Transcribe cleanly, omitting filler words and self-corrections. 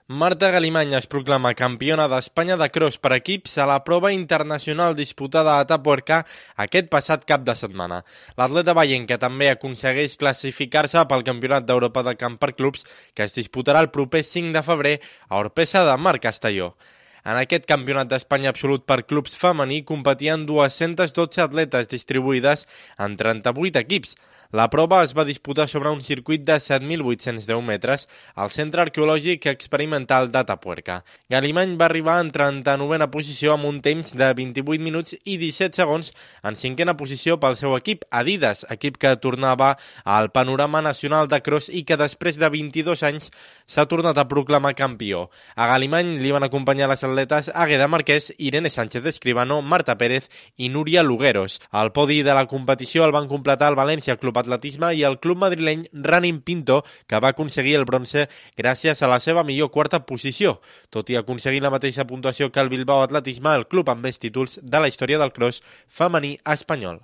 Marta Galimany es proclama campiona d'Espanya de cross per equips a la prova internacional disputada a Atapuerca aquest passat cap de setmana. L'atleta veienca també aconsegueix classificar-se pel Campionat d'Europa de camp per clubs que es disputarà el proper 5 de febrer a Orpesa de Mar, Castelló. En aquest Campionat d'Espanya absolut per clubs femení competien 212 atletes distribuïdes en 38 equips. La prova es va disputar sobre un circuit de 7.810 metres al Centre Arqueològic Experimental d'Atapuerca. Galimany va arribar en 39a posició amb un temps de 28 minuts i 17 segons, en 5a posició pel seu equip Adidas, equip que tornava al panorama nacional de cross i que després de 22 anys s'ha tornat a proclamar campió. A Galimany li van acompanyar les atletes Águeda Marquès, Irene Sánchez Escribano, Marta Pérez i Núria Lugueros. El podi de la competició el van completar el València Club Atletisme i el club madrileny Running Pinto, que va aconseguir el bronze gràcies a la seva millor quarta posició. Tot i aconseguir la mateixa puntuació que el Bilbao Atletisme, el club amb més títols de la història del cross femení espanyol.